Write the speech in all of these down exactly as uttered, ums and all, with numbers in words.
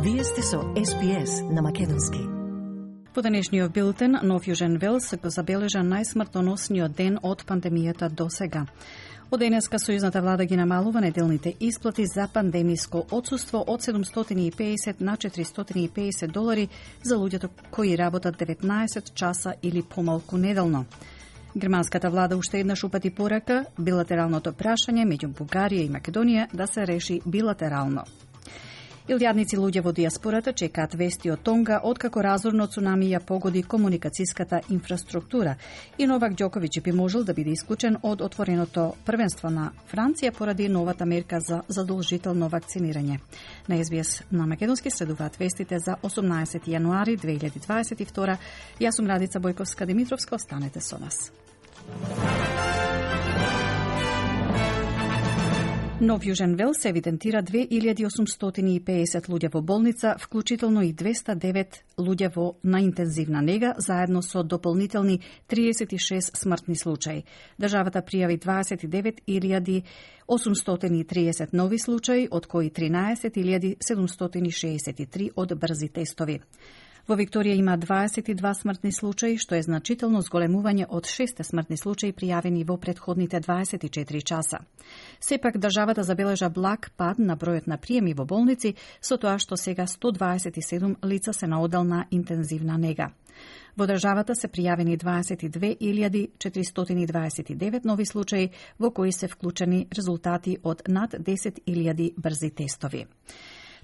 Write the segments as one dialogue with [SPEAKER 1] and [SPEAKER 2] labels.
[SPEAKER 1] Вие сте со Ес Би Ес на македонски.
[SPEAKER 2] По денешниот билтен, Нов Јужен Велс го забележа најсмртоносниот ден од пандемијата до сега. Од денеска сојузната влада ги намалува неделните исплати за пандемиско отсуство од седумстотини и педесет на четиристотини и педесет долари за луѓето кои работат деветнаесет часа или помалку неделно. Германската влада уште еднаш упати порака билатералното прашање меѓу Бугарија и Македонија да се реши билатерално. Илјадници луѓе во диаспората чекаат вести од Тонга откако разорно цунами ја погоди комуникацијската инфраструктура и Новак Ѓоковиќ би можел да биде исклучен од отвореното првенство на Франција поради новата мерка за задолжително вакцинирање. На Ес Би Ес на македонски следуваат вестите за осумнаесети јануари две илјади дваесет и втора. Јас сум Радица Бојковска-Димитровска, останете со нас. Нов Јужен Велс евидентира две илјади осумстотини и педесет луѓе во болница, вклучително и двеста и девет луѓе во на интензивна нега, заедно со дополнителни триесет и шест смртни случаи. Државата пријави дваесет и девет илјади осумстотини и триесет нови случаи, од кои тринаесет илјади седумстотини шеесет и три од брзи тестови. Во Викторија има дваесет и два смртни случаи, што е значително зголемување од шест смртни случаи пријавени во претходните дваесет и четири часа. Сепак државата забележа благ пад на бројот на приеми во болници, со тоа што сега сто дваесет и седум лица се на одел на интензивна нега. Во државата се пријавени дваесет и две илјади четиристотини дваесет и девет нови случаи, во кои се вклучени резултати од над десет илјади брзи тестови.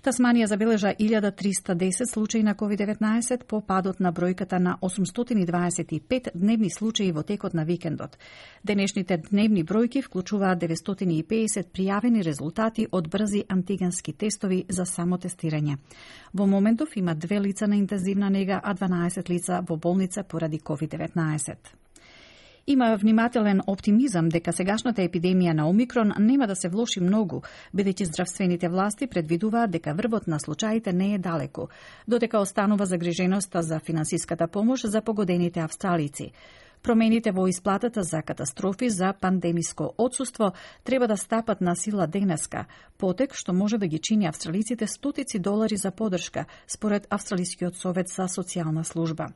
[SPEAKER 2] Тасманија забележа илјада триста и десет случаи на ковид деветнаесет по падот на бројката на осумстотини дваесет и пет дневни случаи во текот на викендот. Денешните дневни бројки вклучуваат деветстотини и педесет пријавени резултати од брзи антигенски тестови за самотестирање. Во моментов има две лица на интензивна нега, а дванаесет лица во болница поради ковид деветнаесет. Има внимателен оптимизам дека сегашната епидемија на Омикрон нема да се влоши многу, бидејќи здравствените власти предвидуваат дека врвот на случаите не е далеку, додека останува загриженоста за финансиската помош за погодените австралици. Промените во исплатата за катастрофи за пандемиско отсуство треба да стапат на сила денеска, потек што може да ги чини австралиците стотици долари за подршка, според Австралискиот совет за социјална служба.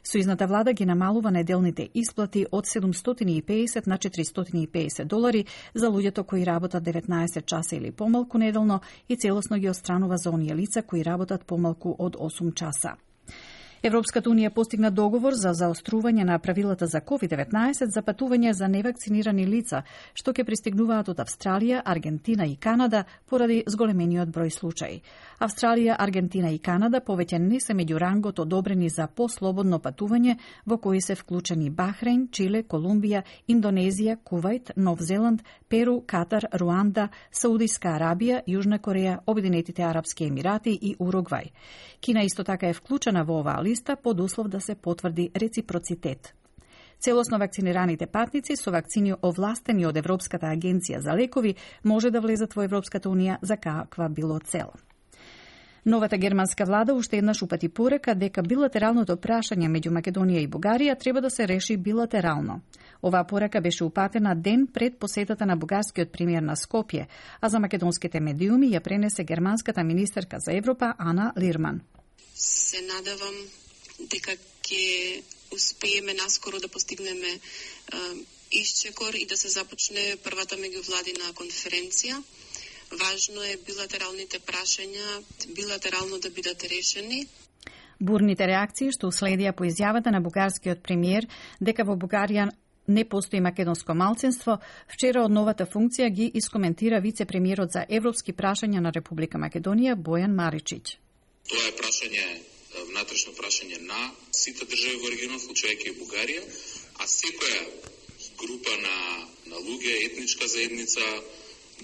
[SPEAKER 2] Сојузната влада ги намалува неделните исплати од седумстотини и педесет на четиристотини и педесет долари за луѓето кои работат деветнаесет часа или помалку неделно и целосно ги отстранува за оние лица кои работат помалку од осум часа. Европската унија постигна договор за заострување на правилата за ковид деветнаесет за патување за невакцинирани лица, што ќе пристигнуваат од Австралија, Аргентина и Канада поради зголемениот број случаи. Австралија, Аргентина и Канада повеќе не се меѓу рангот одобрени за послободно патување, во кои се вклучени Бахрейн, Чиле, Колумбија, Индонезија, Кувајт, Нов Зеланд, Перу, Катар, Руанда, Саудиска Арабија, Јужна Кореја, Обединетите Арапски Емирати и Уругвај. Кина исто така е вклучена во оваа листа под услов да се потврди реципроцитет. Целосно вакцинираните патници со вакцини овластени од Европската агенција за лекови може да влезат во Европската унија за каква било цел. Новата германска влада уште еднаш упати порека дека билатералното прашање меѓу Македонија и Бугарија треба да се реши билатерално. Оваа порека беше упатена ден пред посетата на бугарскиот премиер на Скопје, а за македонските медиуми ја пренесе германската министерка за Европа Ана Лирман.
[SPEAKER 3] Се надевам дека ќе успееме наскоро да постигнеме е, исчекор и да се започне првата меѓувладина конференција. Важно е билатералните прашања билатерално да бидат решени.
[SPEAKER 2] Бурните реакции што уследија по изјавата на бугарскиот премиер дека во Бугарија не постои македонско малцинство, вчера од новата функција ги искоментира вице-премиерот за европски прашања на Република Македонија Бојан Маричиќ.
[SPEAKER 4] Тоа е прашање, внатрешно прашање на сите држави во регионот, вклучувајќи и Бугарија, а секоја група на, на луѓе, етничка заедница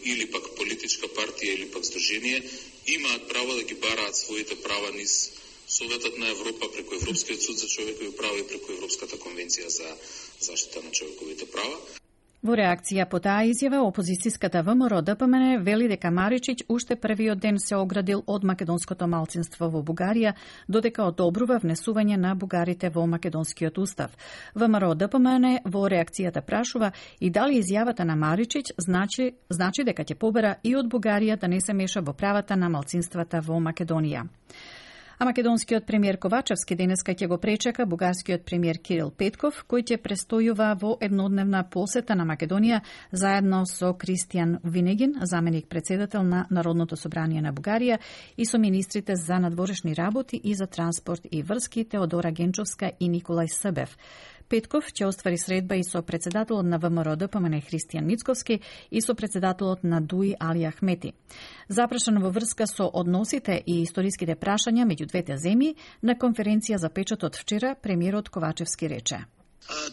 [SPEAKER 4] или пак политичка партија или пак здружение имаат право да ги бараат своите права низ Советот на Европа, преку Европскиот суд за човекови права и преку Европската конвенција за заштита на човековите права.
[SPEAKER 2] Во реакција по таа изјава, опозицијската ВМРО Д П М Н вели дека Маричиќ уште првиот ден се оградил од македонското малцинство во Бугарија, додека одобрува внесување на бугарите во македонскиот устав. ВМРО Д П М Н во реакцијата прашува и дали изјавата на Маричиќ значи, значи дека ќе побара и од Бугарија да не се меша во правата на малцинствата во Македонија. А македонскиот премиер Ковачевски денеска ќе го пречека бугарскиот премиер Кирил Петков, кој ќе престојува во еднодневна посета на Македонија заедно со Кристијан Винегин, заменик председател на Народното собрание на Бугарија, и со министрите за надворешни работи и за транспорт и врски Теодора Генчовска и Николај Събев. Петков ќе оствари средба и со председателот на ВМРО Д П М Н Христијан Мицковски и со председателот на Д У И Али Ахмети. Запрашан во врска со односите и историските прашања меѓу двете земји, на конференција за печатот вчера премиерот Ковачевски рече: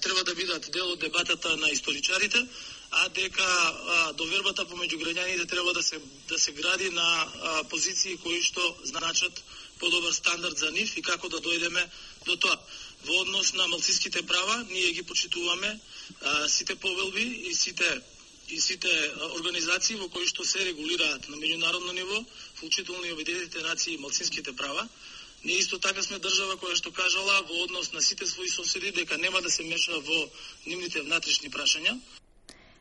[SPEAKER 5] треба да бидат дел од дебатата на историчарите, а дека довербата помеѓу граѓаните треба да се да се гради на позиции кои што значат подобар стандард за нив и како да дојдеме до тоа. Во однос на малцинските права, ние ги почитуваме а, сите повелби и сите и сите организации во кои што се регулираат на меѓународно ниво, вклучително и Обединетите нации и малцинските права. Ние исто така сме држава која што кажала во однос на сите своји соседи дека нема да се меша во нивните внатрешни прашања.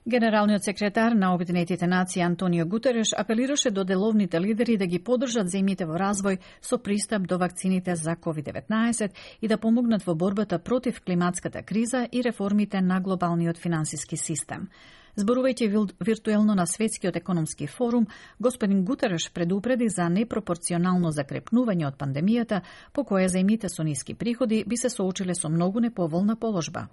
[SPEAKER 2] Генералниот секретар на Обединетите нации Антонио Гутереш апелираше до деловните лидери да ги поддржат земјите во развој со пристап до вакцините за ковид деветнаесет и да помогнат во борбата против климатската криза и реформите на глобалниот финансиски систем. Зборувајќи виртуелно на Светскиот економски форум, господин Гутереш предупреди за непропорционално закрепнување од пандемијата, по која земјите со ниски приходи би се соочиле со многу неповолна положба.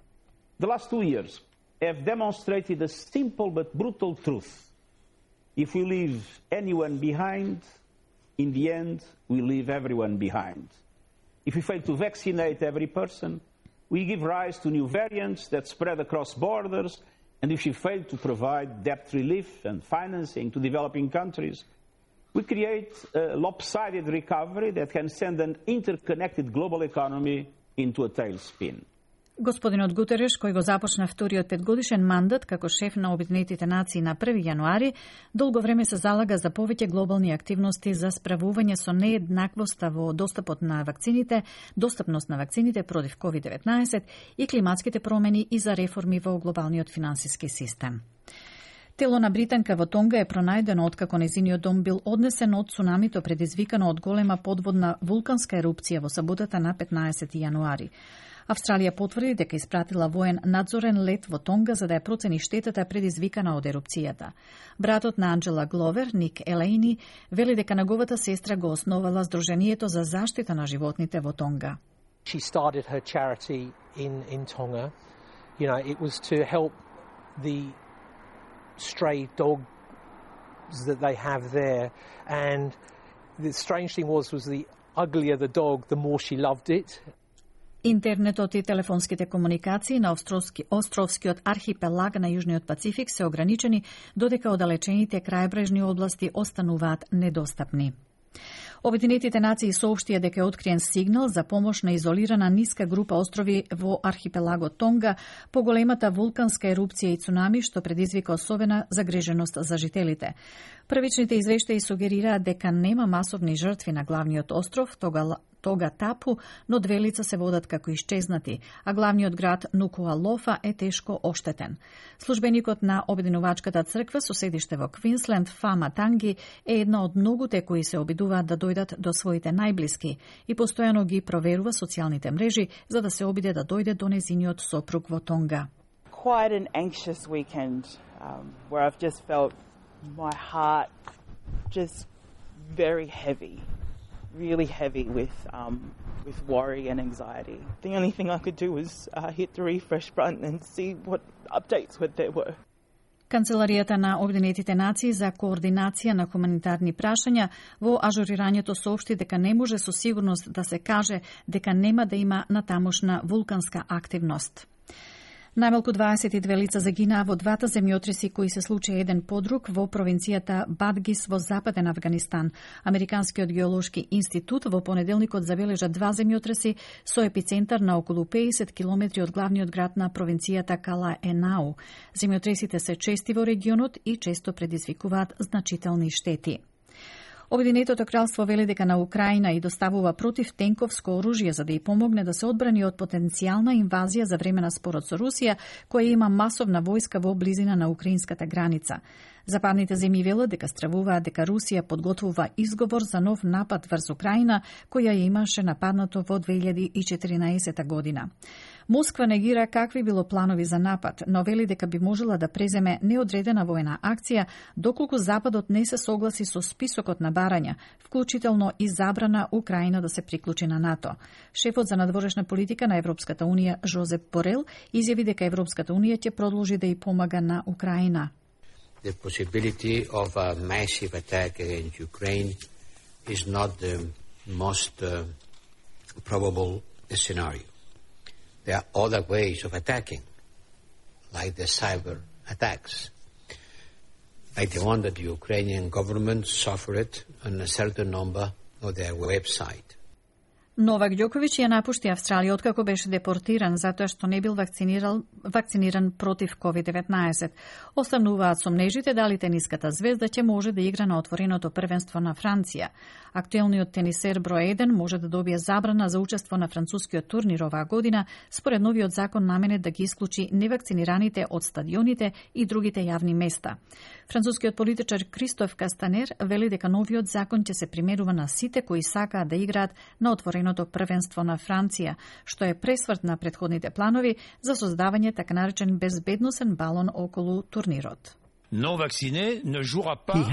[SPEAKER 6] The last two years have demonstrated a simple but brutal truth. If we leave anyone behind, in the end, we leave everyone behind. If we fail to vaccinate every person, we give rise to new variants that spread across borders, and if we fail to provide debt relief and financing to developing countries, we create a lopsided recovery that can send an interconnected global economy into a tailspin.
[SPEAKER 2] Господинот Гутереш, кој го започна вториот петгодишен мандат како шеф на Обединетите нации на први јануари, долго време се залага за повеќе глобални активности за справување со нееднаквоста во достапот на вакцините, достапност на вакцините против ковид деветнаесет и климатските промени и за реформи во глобалниот финансиски систем. Тело на британка во Тонга е пронајдено откако незиниот дом бил однесен од цунамито предизвикано од голема подводна вулканска ерупција во саботата на петнаесети јануари. Австралија потврди дека испратила воен надзорен лет во Тонга за да ја процени штетата предизвикана од ерупцијата. Братот на Анджела Гловер, Ник Елејни, вели дека неговата сестра го основала Сдруженијето за заштита на животните во Тонга.
[SPEAKER 7] She started her charity in in Tonga. You know, it was to help the stray dogs that they have there, and the strange thing was was the uglier the dog, the more she loved it.
[SPEAKER 2] Интернетот и телефонските комуникации на островски, островскиот архипелаг на Јужниот Пацифик се ограничени, додека оддалечените крајбрежни области остануваат недостапни. Обединетите нации соопштија дека е откриен сигнал за помош на изолирана ниска група острови во архипелагот Тонга по големата вулканска ерупција и цунами што предизвика особена загриженост за жителите. Првичните извештаи сугерираат дека нема масовни жртви на главниот остров, тога Тога Тапу, но две лица се водат како исчезнати, а главниот град Нукуалофа е тешко оштетен. Службеникот на Обединувачката црква со седиште во Квинсленд, Фама Танги, е една од многуте кои се обидуваат да дојдат до своите најблиски и постојано ги проверува социјалните мрежи за да се обиде да дојде до незиниот сопруг во Тонга.
[SPEAKER 8] Quite an anxious weekend um, where I've just felt my heart just very heavy. really heavy with um, with worry and anxiety. The only thing I could do was uh, hit the refresh button and see what updates there were.
[SPEAKER 2] Канцеларијата на Обединетите нации за координација на хуманитарни прашања во ажурирањето соопшти дека не може со сигурност да се каже дека нема да има натамошна вулканска активност. Најмалку дваесет и две лица загинаа во двата земјотреси кои се случија еден по друг во провинцијата Бадгис во западен Авганистан. Американскиот геолошки институт во понеделникот забележа два земјотреси со епицентар на околу педесет километри од главниот град на провинцијата Кала Енау. Земјотресите се чести во регионот и често предизвикуваат значителни штети. Обединетото кралство вели дека на Украина и доставува противтенковско оружје за да ја помогне да се одбрани од потенцијална инвазија за време на спорот со Русија, која има масовна војска во близина на украинската граница. Западните земји велат дека стравуваат дека Русија подготвува изговор за нов напад врз Украина, која ја имаше нападнато во две илјади и четиринаесета година. Москва негира какви било планови за напад, но вели дека би можела да преземе неодредена војна акција доколку Западот не се согласи со списокот на барања, вклучително и забрана Украина да се приклучи на НАТО. Шефот за надворешна политика на Европската унија Жозеп Борел изјави дека Европската унија ќе продолжи да ја помага на Украина.
[SPEAKER 9] The possibility of a massive attack against Ukraine is not the most uh, probable scenario. There are other ways of attacking, like the cyber attacks, like the one that the Ukrainian government suffered on a certain number of their website.
[SPEAKER 2] Новак Ѓоковиќ ја напушти Австралија откако беше депортиран затоа што не бил вакцинирал, вакциниран против ковид деветнаесет. Остануваат сомнежите дали тениската звезда ќе може да игра на отвореното првенство на Франција. Актуелниот тенисер број еден може да добие забрана за учество на францускиот турнир оваа година, според новиот закон наменет да ги исклучи невакцинираните од стадионите и другите јавни места. Францускиот политичар Кристоф Кастанер вели дека новиот закон ќе се применува на сите кои сакаат да играат на отвореното првенство на Франција, што е пресврт на претходните планови за создавање така наречен безбедносен балон околу турнирот.
[SPEAKER 10] He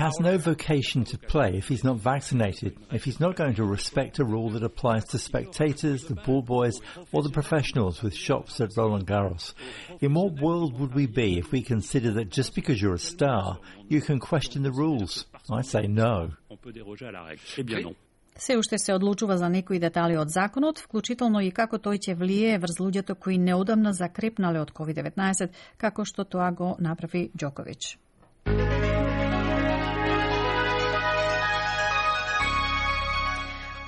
[SPEAKER 10] has no vocation to play if he's not vaccinated, if he's not going to respect a rule that applies to spectators, the ball boys, or the professionals with shops at Roland Garros. In what world would we be if we consider that just because you're a star, you can question the rules? I say no.
[SPEAKER 2] Се уште се одлучува за некои детали од законот, вклучително и како тој ќе влијае врз луѓето кои неодамна закрепнале од ковид деветнаесет, како што тоа го направи Ѓоковиќ.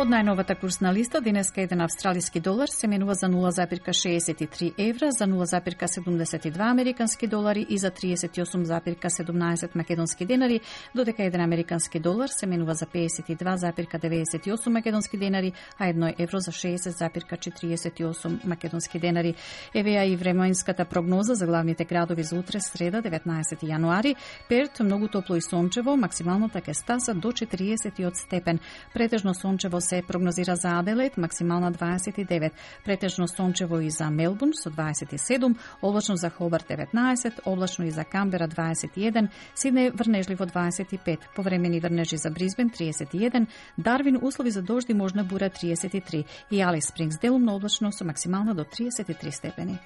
[SPEAKER 2] Од најновата курсна листа, денеска еден австралиски долар се менува за нула запирка шеесет и три евра, за нула запирка седумдесет и два американски долари и за триесет и осум запирка седумнаесет македонски денари, додека еден американски долар се менува за пеесет и два запирка деветдесет и осум македонски денари, а едно евро за шеесет запирка четириесет и осум македонски денари. Евеа и временската прогноза за главните градови за утре, среда, деветнаесети јануари. Перт многу топло и сончево, максималната ќе стаса до четириесет степен. Претежно сончево се прогнозира за Аделаид, максимална дваесет и девет, претежно сончево и за Мелбурн со дваесет и седум, облачно за Хобарт деветнаесет, облачно и за Камбера дваесет и еден, Сиднеј врнежливо дваесет и пет, повремени врнежи за Брисбен триесет и еден, Дарвин услови за дожди можна бура триесет и три и Алис Спрингс делумно облачно со максимална до триесет и три степени.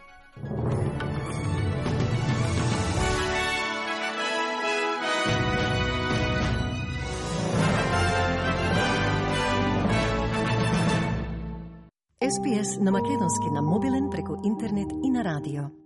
[SPEAKER 1] Ес Би Ес на македонски на мобилен преку интернет и на радио.